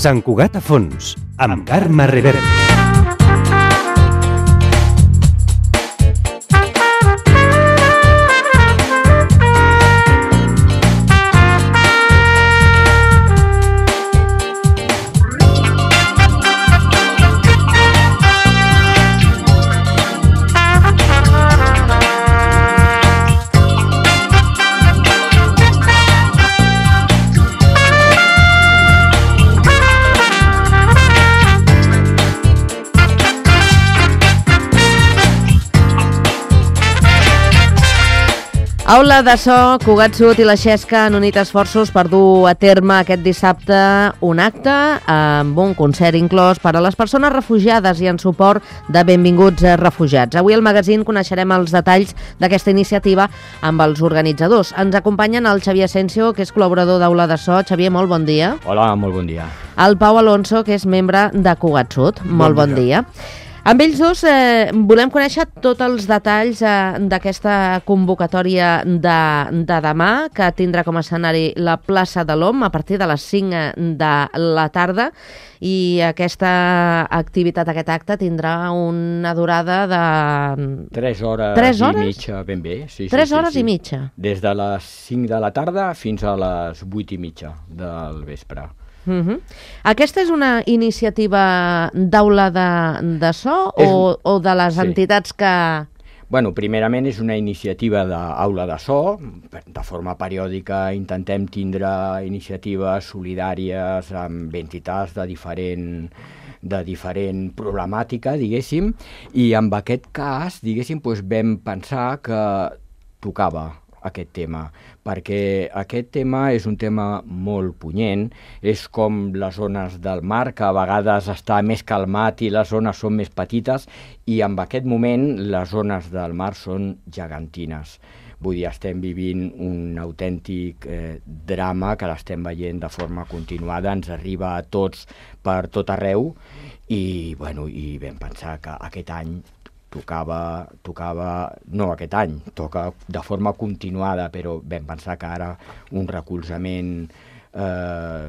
Sant Cugat a fons, amb Carme Reverte. Aula de so, Cugat Sud i la Xesca han unit esforços per dur a terme aquest dissabte un acte amb un concert inclòs per a les persones refugiades i en suport de benvinguts refugiats. Avui al magazín coneixerem els detalls d'aquesta iniciativa amb els organitzadors. Ens acompanyen el Xavier Asensio, que és col·laborador d'Aula de So. Xavier, molt bon dia. Hola, molt bon dia. El Pau Alonso, que és membre de Cugat Sud. Molt bon dia. Amb ells dos volem conèixer tots els detalls d'aquesta convocatòria de demà, que tindrà com a escenari la plaça de l'Om a partir de les 5 de la tarda, i aquesta activitat, aquest acte, tindrà una durada de... 3 hores, 3 hores? I mitja, ben bé. Sí, 3 hores i mitja? Des de les 5 de la tarda fins a les 8 i mitja del vespre. Aquesta és una iniciativa d'aula de so o de les entitats que... Bueno, primerament és una iniciativa d'aula de so. De forma periòdica intentem tindre iniciatives solidàries amb entitats de diferent problemàtica, diguéssim, i en aquest cas, diguéssim, vam pensar que tocava aquest tema, perquè aquest tema és un tema molt punyent, és com les zones del mar, que a vegades està més calmat i les zones són més petites, i en aquest moment les zones del mar són gegantines. Vull dir, estem vivint un autèntic drama que l'estem veient de forma continuada, ens arriba a tots per tot arreu, i vam pensar que aquest any tocava, no aquest any, toca de forma continuada, però vam pensar que ara un recolzament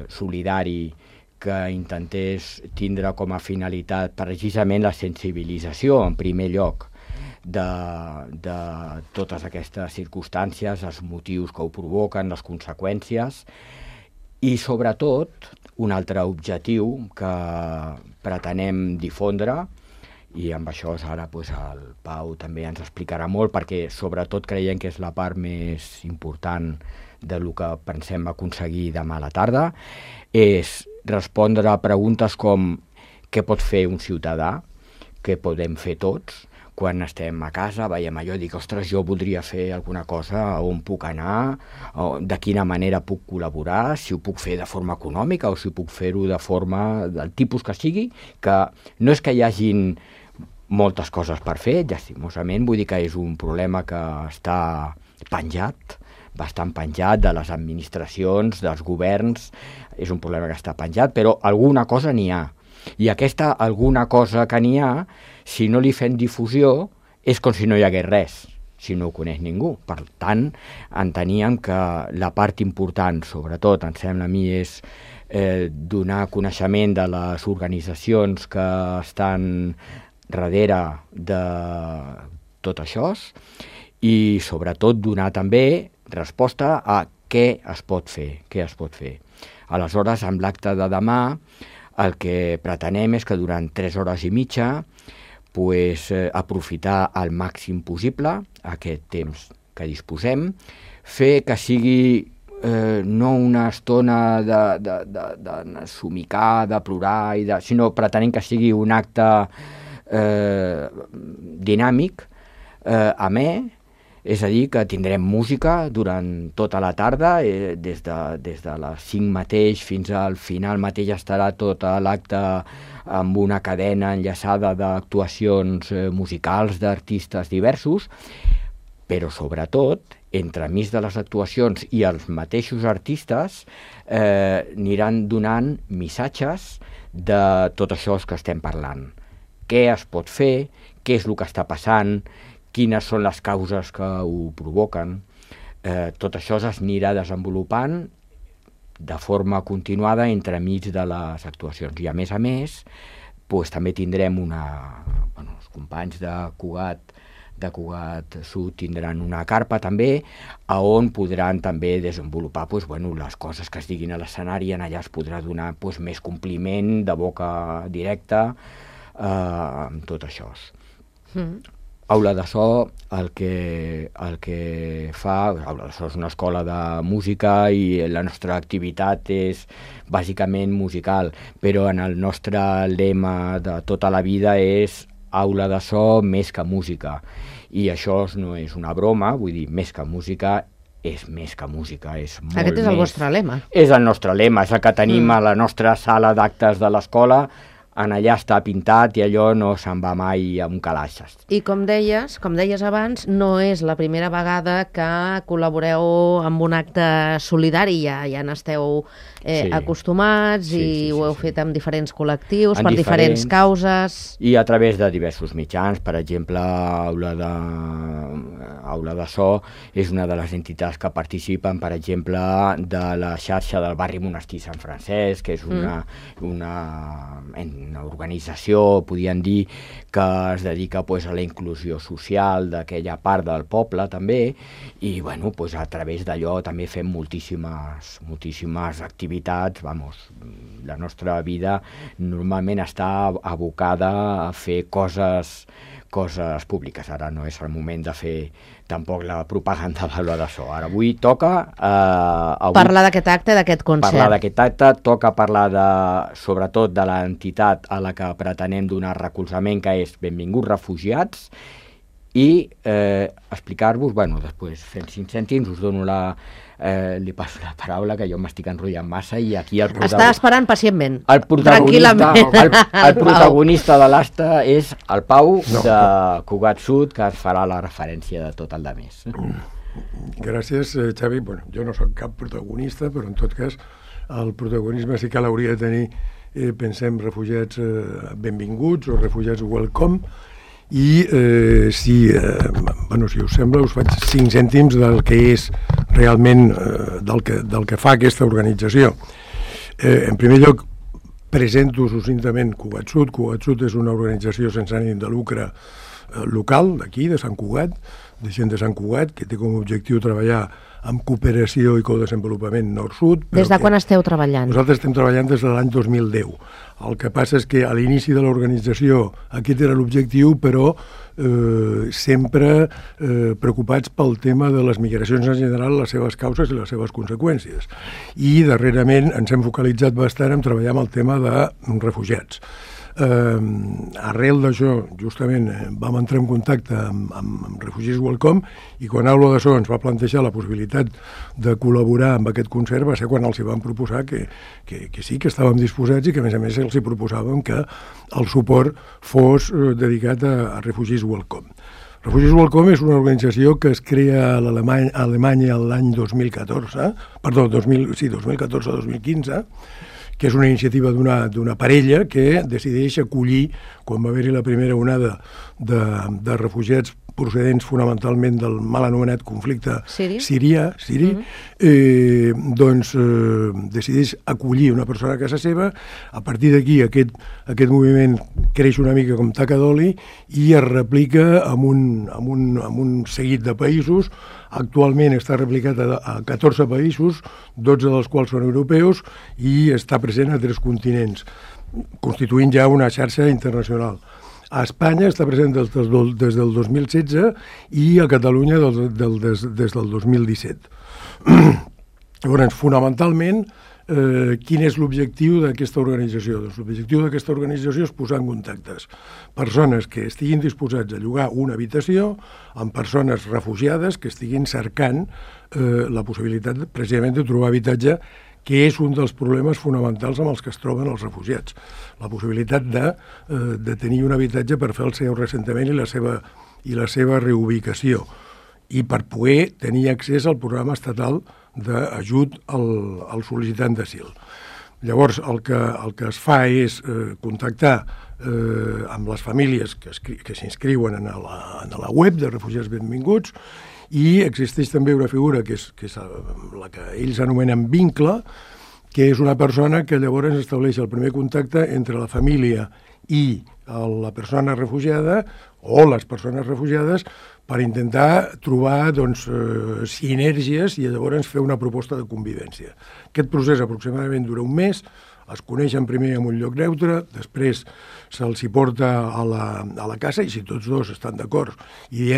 solidari que intentés tindre com a finalitat precisament la sensibilització, en primer lloc, de totes aquestes circumstàncies, els motius que ho provoquen, les conseqüències, i sobretot un altre objectiu que pretenem difondre, i amb això ara el Pau també ens explicarà molt, perquè sobretot creiem que és la part més important del que pensem aconseguir demà a la tarda, és respondre a preguntes com què pot fer un ciutadà, què podem fer tots, quan estem a casa, veiem allò i dic, ostres, jo voldria fer alguna cosa, on puc anar, de quina manera puc col·laborar, si ho puc fer de forma econòmica o si puc fer-ho de forma del tipus que sigui, que no és que hi hagin moltes coses per fer, llastimosament, vull dir que és un problema que està penjat, bastant penjat de les administracions, dels governs, és un problema que està penjat, però alguna cosa n'hi ha. I aquesta alguna cosa que n'hi ha, si no li fem difusió, és com si no hi hagués res, si no ho coneix ningú. Per tant, enteníem que la part important, sobretot, em sembla a mi, és donar coneixement de les organitzacions que estan darrere de tot això i sobretot donar també resposta a què es pot fer. Aleshores, amb l'acte de demà, el que pretenem és que durant 3 hores i mitja aprofitar al màxim possible aquest temps que disposem, fer que sigui no una estona de somicar, de plorar, sinó pretenem que sigui un acte dinàmic, amè, és a dir, que tindrem música durant tota la tarda, des de les 5 mateix fins al final mateix estarà tot l'acte amb una cadena enllaçada d'actuacions musicals d'artistes diversos, però sobretot, entremig de les actuacions i els mateixos artistes aniran donant missatges de tot això que estem parlant. Què es pot fer, què és el que està passant, quines són les causes que ho provoquen. Tot això s'anirà desenvolupant de forma continuada entremig de les actuacions. I a més, també tindrem els companys de Cugat Sud tindran una carpa també, on podran també desenvolupar les coses que es diguin a l'escenari, en allà es podrà donar més compliment de boca directa amb tot això. Aula de So, el que fa... Aula de So és una escola de música i la nostra activitat és bàsicament musical, però en el nostre lema de tota la vida és Aula de So més que música. I això no és una broma, vull dir, més que música és més que música, és molt més... Aquest és el vostre lema. És el nostre lema, és el que tenim a la nostra sala d'actes de l'escola. En allà està pintat i allò no se'n va mai amb calaixes. I com deies abans, no és la primera vegada que col·laboreu amb un acte solidari, ja n'esteu acostumats i ho heu fet amb diferents col·lectius, per diferents causes. I a través de diversos mitjans, per exemple, Aula de So és una de les entitats que participen, per exemple, de la xarxa del barri Monestir Sant Francesc, que és una organització, podríem dir, que es dedica a la inclusió social d'aquella part del poble també, i a través d'allò també fem moltíssimes activitats. La nostra vida normalment està abocada a fer coses públiques. Ara no és el moment de fer tampoc la propaganda de l'Aula de So. Ara avui toca... parlar d'aquest acte, d'aquest concert. Parlar d'aquest acte, toca parlar sobretot de l'entitat a la que pretenem donar recolzament, que és Benvinguts Refugiats, i explicar-vos, després fent 5 cèntims, us dono li passo la paraula, que jo m'estic enrotllant massa, i aquí el protagonista... Està esperant pacientment, tranquil·lament. El protagonista de l'acte és el Pau de Cugat Sud, que ens farà la referència de tot el de més. Gràcies, Xavi. Jo no soc cap protagonista, però en tot cas el protagonisme sí que l'hauria de tenir, pensem, refugiats benvinguts o refugiats welcome, i si us sembla us faig 5 cèntims del que és realment del que fa aquesta organització. En primer lloc presento succintament Cugat Sud. Cugat Sud és una organització sense ànim de lucre local d'aquí, de Sant Cugat, de gent de Sant Cugat, que té com a objectiu treballar amb cooperació i codesenvolupament nord-sud. Des de quan esteu treballant? Nosaltres estem treballant des de l'any 2010. El que passa és que a l'inici de l'organització aquest era l'objectiu, però sempre preocupats pel tema de les migracions en general, les seves causes i les seves conseqüències. I darrerament ens hem focalitzat bastant en treballar amb el tema de refugiats. Arrel d'això, justament, vam entrar en contacte amb Refugees Welcome, i quan Aula de So ens va plantejar la possibilitat de col·laborar amb aquest concert va ser quan els hi vam proposar que sí, que estàvem disposats, i que a més els hi proposàvem que el suport fos dedicat a Refugees Welcome. Refugees Welcome és una organització que es crea a Alemanya l'any 2014, 2014-2015, que és una iniciativa d'una parella que decideix acollir, quan va haver-hi la primera onada de refugiats procedents fonamentalment del mal anomenat conflicte siri, decideix acollir una persona a casa seva. A partir d'aquí aquest moviment creix una mica com taca d'oli i es replica en un seguit de països. Actualment està replicat a 14 països, 12 dels quals són europeus, i està present a 3 continents, constituint ja una xarxa internacional. A Espanya està present des del 2016 i a Catalunya des del 2017. Llavors, fonamentalment, quin és l'objectiu d'aquesta organització? Doncs l'objectiu d'aquesta organització és posar en contactes persones que estiguin disposats a llogar una habitació amb persones refugiades que estiguin cercant la possibilitat precisament de trobar habitatge, que és un dels problemes fonamentals amb els que es troben els refugiats. La possibilitat de tenir un habitatge per fer el seu reassentament i la seva reubicació, i per poder tenir accés al programa estatal d'ajut al sol·licitant d'asil. Llavors, el que es fa és contactar amb les famílies que s'inscriuen a la web de Refugiats Benvinguts, i existeix també una figura que és la que ells anomenen vincle, que és una persona que llavors estableix el primer contacte entre la família i la persona refugiada o les persones refugiades per intentar trobar sinergies i llavors fer una proposta de convivència. Aquest procés aproximadament dura un mes, es coneixen primer en un lloc neutre, després se'ls hi porta a la casa i si tots dos estan d'acord i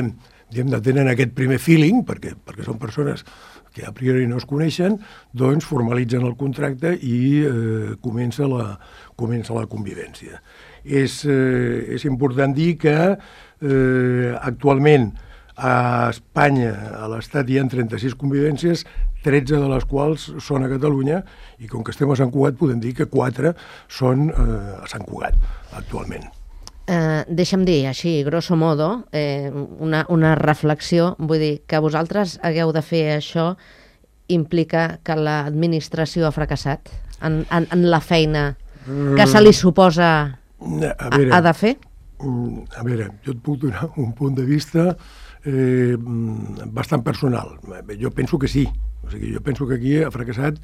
tenen aquest primer feeling, perquè són persones que a priori no es coneixen, doncs formalitzen el contracte i comença la convivència. És important dir que actualment a Espanya, a l'Estat, hi ha 36 convivències, 13 de les quals són a Catalunya, i com que estem a Sant Cugat podem dir que 4 són a Sant Cugat actualment. Deixa'm dir, així, grosso modo, una reflexió, vull dir, que vosaltres hagueu de fer això implica que l'administració ha fracassat en la feina que se li suposa ha de fer? A veure, jo et puc donar un punt de vista bastant personal. Jo penso que sí. O sigui, jo penso que aquí ha fracassat,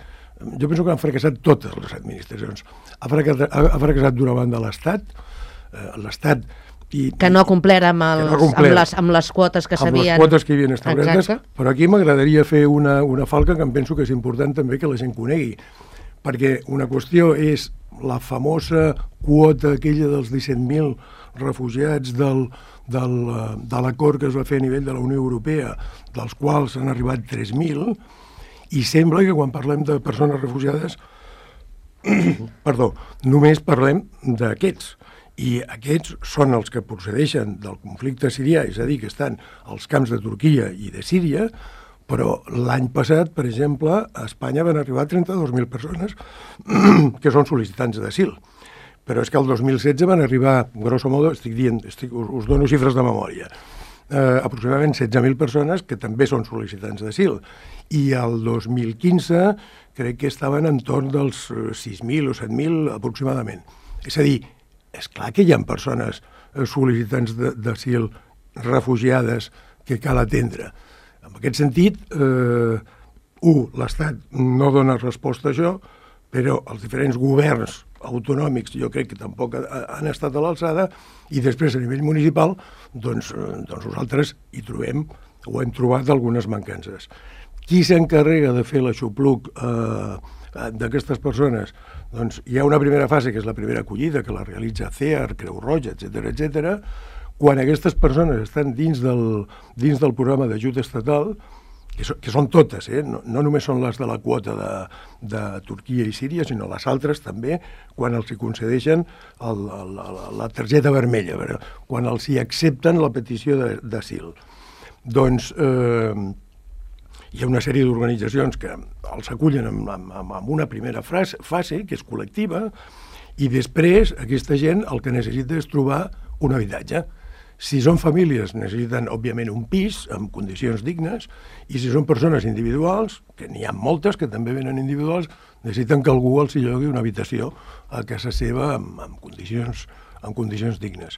jo penso que han fracassat totes les administracions. Ha fracassat d'una banda l'Estat, que no ha complert amb les quotes que s'havien... Amb les quotes que hi havien establertes, però aquí m'agradaria fer una falca que em penso que és important també que la gent conegui, perquè una qüestió és la famosa quota aquella dels 17.000 refugiats de l'acord que es va fer a nivell de la Unió Europea, dels quals han arribat 3.000, i sembla que quan parlem de persones refugiades només parlem d'aquests. I aquests són els que procedeixen del conflicte sirià, és a dir, que estan als camps de Turquia i de Síria, però l'any passat, per exemple, a Espanya van arribar 32.000 persones que són sol·licitants d'asil. Però és que el 2016 van arribar, grosso modo, us dono xifres de memòria, aproximadament 16.000 persones que també són sol·licitants d'asil. I el 2015 crec que estaven entorn dels 6.000 o 7.000 aproximadament. És a dir, és clar que hi ha persones sol·licitants d'asil refugiades que cal atendre. En aquest sentit, l'Estat no dona resposta a això, però els diferents governs autonòmics jo crec que tampoc han estat a l'alçada, i després a nivell municipal doncs nosaltres hi trobem o hem trobat algunes mancances. Qui s'encarrega de fer l'aixopluc d'aquestes persones? Doncs hi ha una primera fase, que és la primera acollida, que la realitza CEAR, Creu Roja, etc. Quan aquestes persones estan dins del programa d'ajut estatal, que són totes, no només són les de la quota de Turquia i Síria, sinó les altres també, quan els hi concedeixen la targeta vermella, quan els hi accepten la petició d'asil. Doncs hi ha una sèrie d'organitzacions que els acullen amb una primera fase, que és col·lectiva, i després aquesta gent el que necessita és trobar un habitatge. Si són famílies, necessiten, òbviament, un pis amb condicions dignes, i si són persones individuals, que n'hi ha moltes que també venen individuals, necessiten que algú els hi llogui una habitació a casa seva amb condicions dignes.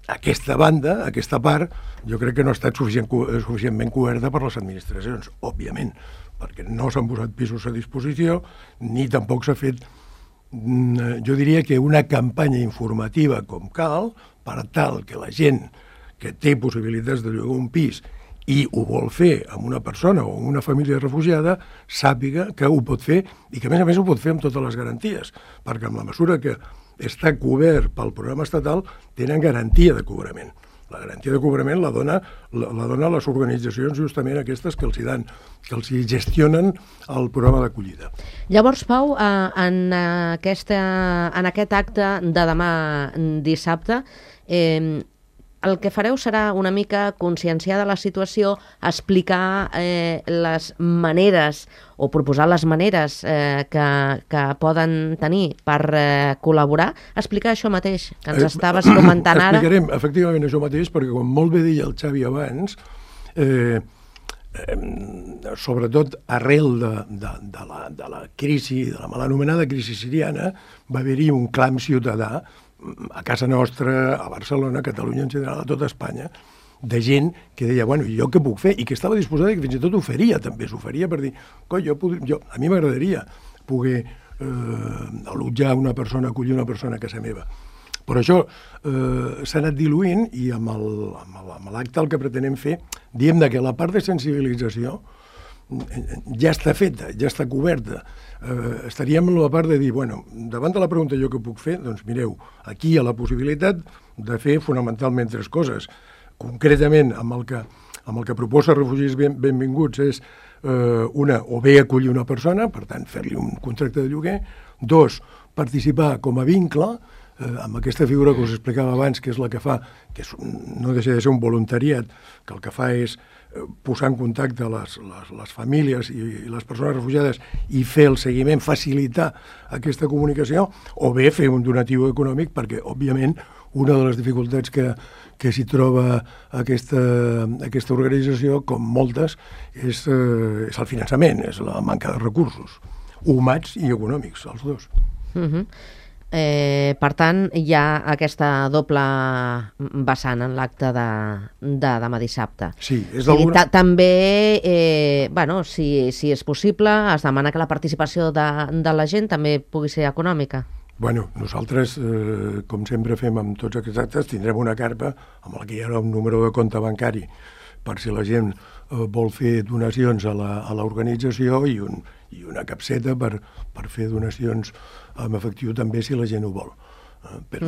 Aquesta banda, aquesta part, jo crec que no ha estat suficientment coberta per les administracions, òbviament, perquè no s'han posat pisos a disposició, ni tampoc s'ha fet, jo diria que una campanya informativa com cal, per tal que la gent que té possibilitats de llogar un pis i ho vol fer amb una persona o amb una família refugiada, sàpiga que ho pot fer i que a més ho pot fer amb totes les garanties, perquè amb la mesura que està cobert pel programa estatal tenen garantia de cobrament. La garantia de cobrament la dona les organitzacions justament aquestes que els hi gestionen el programa d'acollida. Llavors, Pau, en aquest acte de demà dissabte, el que fareu serà una mica conscienciar de la situació, explicar les maneres o proposar les maneres que poden tenir per col·laborar, explicar això mateix que ens estaves comentant ara. Explicarem efectivament això mateix, perquè com molt bé deia el Xavi abans, sobretot arrel de la crisi, de la mal anomenada crisi siriana, va haver-hi un clam ciutadà a casa nostra, a Barcelona, a Catalunya en general, a tota Espanya, de gent que deia, bueno, jo què puc fer? I que estava disposada i que fins i tot oferia, també s'oferia per dir, a mi m'agradaria poder allotjar una persona, acollir una persona a casa meva. Però això s'ha anat diluint i amb l'acte el que pretenem fer, diem que la part de sensibilització ja està feta, ja està coberta. Estaríem en la part de dir, bueno, davant de la pregunta jo què puc fer, doncs mireu, aquí hi ha la possibilitat de fer fonamentalment 3 coses. Concretament, amb el que proposa Refugis Benvinguts és una, o bé acollir una persona, per tant, fer-li un contracte de lloguer, 2, participar com a vincle, amb aquesta figura que us explicava abans, que és la que fa, que no deixa de ser un voluntariat, que el que fa és posar en contacte les famílies i les persones refugiades i fer el seguiment, facilitar aquesta comunicació, o bé fer un donatiu econòmic, perquè, òbviament, una de les dificultats que s'hi troba aquesta organització, com moltes, és el finançament, és la manca de recursos, humans i econòmics, els dos. Per tant, hi ha aquesta doble vessant en l'acte de demà dissabte. Sí, és d'alguna... També, si és possible, es demana que la participació de la gent també pugui ser econòmica. Bueno, nosaltres, com sempre fem amb tots aquests actes, tindrem una carpa amb la que hi ha un número de compte bancari per si la gent vol fer donacions a l'organització i una capseta per fer donacions en efectiu també si la gent ho vol. Però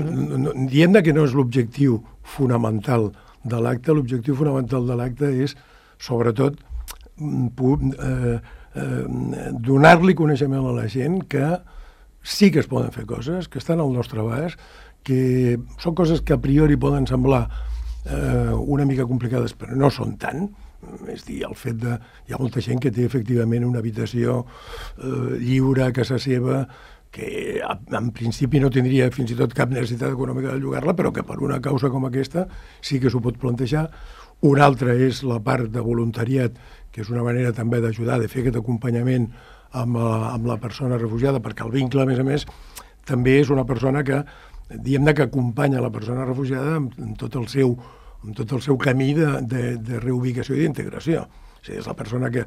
diem que no és l'objectiu fonamental de l'acte, l'objectiu fonamental de l'acte és, sobretot, donar-li coneixement a la gent que sí que es poden fer coses, que estan al nostre abast, que són coses que a priori poden semblar una mica complicades, però no són tant. És dir, el fet de... Hi ha molta gent que té efectivament una habitació lliure a casa seva, que en principi no tindria fins i tot cap necessitat econòmica de llogar-la, però que per una causa com aquesta sí que s'ho pot plantejar. Una altra és la part de voluntariat, que és una manera també d'ajudar, de fer aquest acompanyament amb la persona refugiada, perquè el vincle, a més, també és una persona que, diguem-ne, que acompanya la persona refugiada en tot el seu camí de reubicació i d'integració. O sigui, és la persona que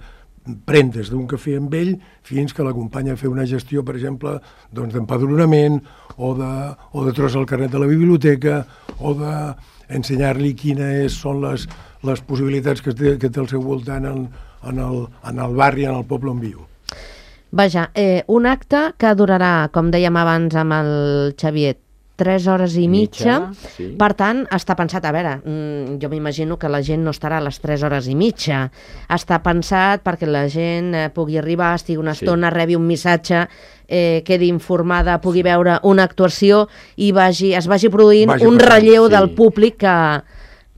pren des d'un cafè amb ell fins que l'acompanya a fer una gestió, per exemple, d'empadronament o de trobar el carnet de la biblioteca o d'ensenyar-li quines són les possibilitats que té al seu voltant en el barri, en el poble on viu. Vaja, un acte que durarà, com dèiem abans amb el Xavier, 3 hores i mitja. Sí. Per tant, està pensat, a veure, jo m'imagino que la gent no estarà a les 3 hores i mitja. Està pensat perquè la gent pugui arribar, estigui una estona, rebi un missatge, quedi informada, pugui veure una actuació i es vagi produint un relleu del públic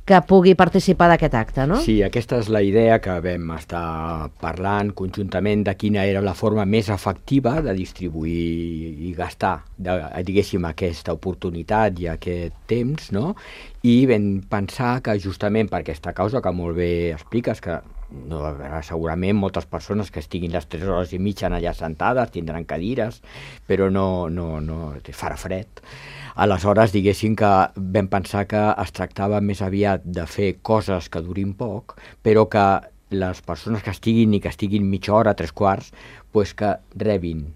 que pugui participar d'aquest acte, no? Sí, aquesta és la idea que vam estar parlant conjuntament de quina era la forma més efectiva de distribuir i gastar, diguéssim, aquesta oportunitat i aquest temps, no? I vam pensar que justament per aquesta causa que molt bé expliques, que no, segurament moltes persones que estiguin les 3 hores i mitja allà sentades tindran cadires, però no farà fred. Aleshores, diguéssim que vam pensar que es tractava més aviat de fer coses que durin poc, però que les persones que estiguin mitja hora, 3/4, pues que rebin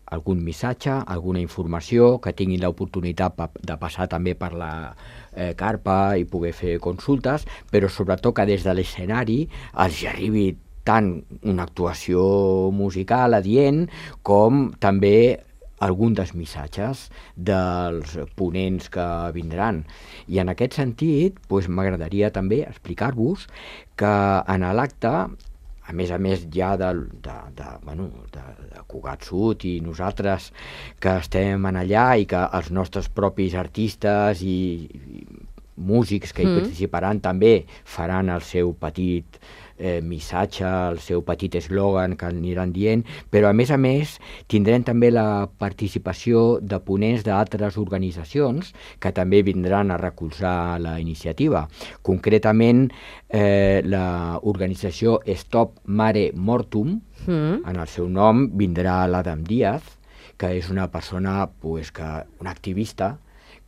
algun missatge, alguna informació, que tinguin l'oportunitat de passar també per la carpa i poder fer consultes, però sobretot que des de l'escenari els arribi tant una actuació musical adient com també algun dels missatges dels ponents que vindran. I en aquest sentit, m'agradaria també explicar-vos que en l'acte, a més ja de Cugat Sud i nosaltres que estem allà i que els nostres propis artistes i músics que hi participaran també faran el seu petit missatge, el seu petit eslògan que aniran dient, però a més tindrem també la participació de ponents d'altres organitzacions que també vindran a recolzar la iniciativa. Concretament, l'organització Stop Mare Mortum, en el seu nom vindrà l'Adam Díaz, que és una persona, un activista,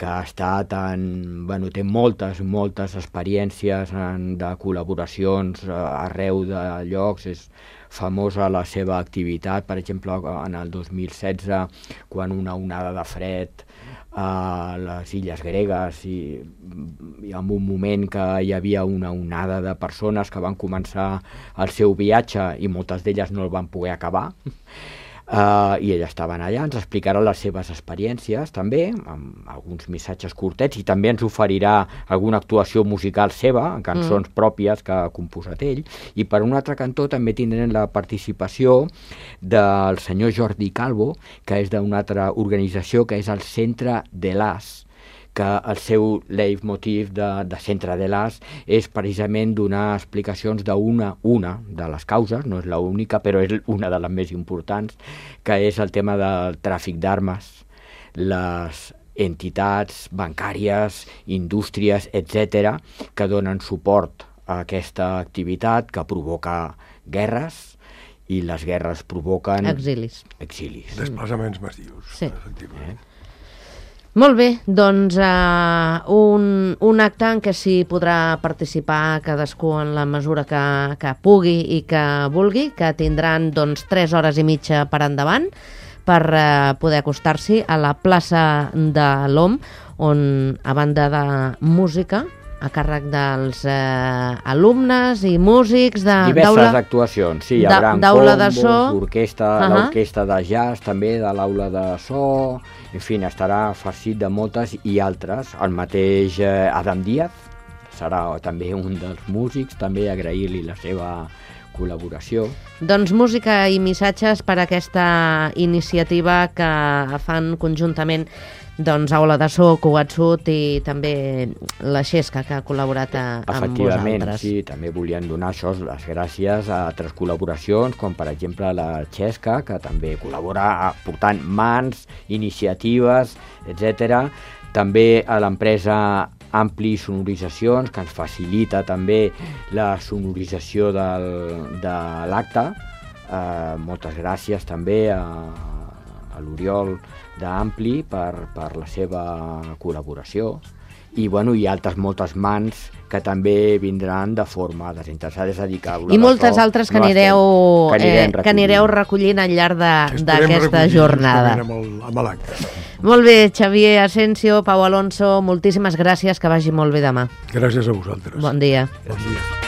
que ha estat té moltes experiències de col·laboracions arreu de llocs, és famosa la seva activitat, per exemple, en el 2016, quan una onada de fred a les illes gregues i en un moment que hi havia una onada de persones que van començar el seu viatge i moltes d'elles no el van poder acabar, i elles estaven allà, ens explicaran les seves experiències també, amb alguns missatges curtets, i també ens oferirà alguna actuació musical seva, en cançons pròpies que ha composat ell, i per un altre cantó també tindrem la participació del senyor Jordi Calvo, que és d'una altra organització que és el Centre de l'As, que el seu leitmotiv de Centre de l'As és precisament donar explicacions d'una de les causes, no és l'única, però és una de les més importants, que és el tema del tràfic d'armes. Les entitats bancàries, indústries, etc., que donen suport a aquesta activitat que provoca guerres, i les guerres provoquen Exilis. Desplaçaments massius, Sí. efectivament. Molt bé, doncs un acte en què s'hi podrà participar cadascú en la mesura que pugui i que vulgui, que tindran 3 hores i mitja per endavant per poder acostar-s'hi a la plaça de l'OM, on a banda de música a càrrec dels alumnes i músics diverses actuacions, sí, hi haurà d'aula de combos, so, l'orquestra de jazz també, de l'aula de so, en fi, estarà farcit de moltes i altres. El mateix Adam Díaz serà també un dels músics, també agrair-li la seva col·laboració. Doncs música i missatges per a aquesta iniciativa que fan conjuntament Aula de So, Cugat Sud i també la Xesca, que ha col·laborat amb Efectivament, vosaltres. sí, també volien donar les gràcies a altres col·laboracions, com per exemple la Xesca, que també col·labora aportant mans, iniciatives, etc. També a l'empresa Ampli Sonoritzacions, que ens facilita també la sonorització de l'acte. Moltes gràcies també a l'Oriol d'Ampli per la seva col·laboració. I altres moltes mans que també vindran de forma desinteressada, és a dir, que i moltes altres que anireu recollint al llarg d'aquesta jornada. Amb l'acte. Molt bé, Xavier Asensio, Pau Alonso, moltíssimes gràcies, que vagi molt bé demà. Gràcies a vosaltres. Bon dia. Bon dia.